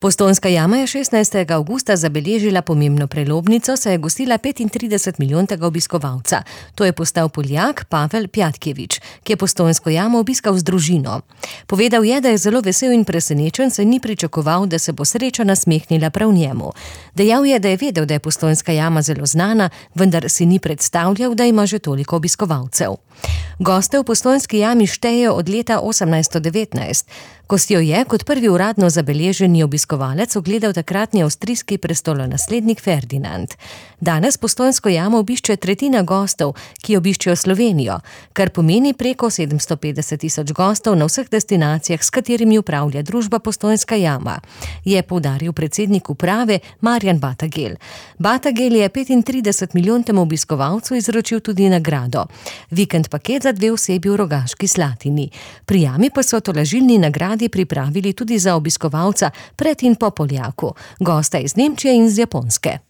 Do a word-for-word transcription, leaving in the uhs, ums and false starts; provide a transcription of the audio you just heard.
Postojnska jama je šestnajstega avgusta zabeležila pomembno prelomnico, saj je gostila petintridesetmilijonskega obiskovalca. To je postal Poljak Pavel Pjatkevič, ki je Postojnsko jamo obiskal z družino. Povedal je, da je zelo vesel in presenečen, saj ni pričakoval, da se bo sreča nasmehnila prav njemu. Dejal je, da je vedel, da je Postojnska jama zelo znana, vendar si ni predstavljal, da ima že toliko obiskovalcev. Goste v Postojnski jami štejejo od leta osemnajststo devetnajst. Ko si jo je kot prvi uradno zabeleženi obiskovalec ogledal takratni avstrijski prestolonaslednik Ferdinand. Danes Postojnsko jamo obišče tretjina gostov, ki obiščejo Slovenijo, kar pomeni preko sedemsto petdeset tisoč gostov na vseh destinacijah, s katerimi upravlja družba Postojnska jama, je poudaril predsednik uprave Marjan Batagel. Batagel je petintridesetmilijontemu obiskovalcu izročil tudi nagrado. Vikend paket za dve osebi v Rogaški Slatini. Pri jami pa so tolažilni nagradi pripravili tudi za obiskovalca pred in po Poljaku, gosta iz Nemčije in z Japonske.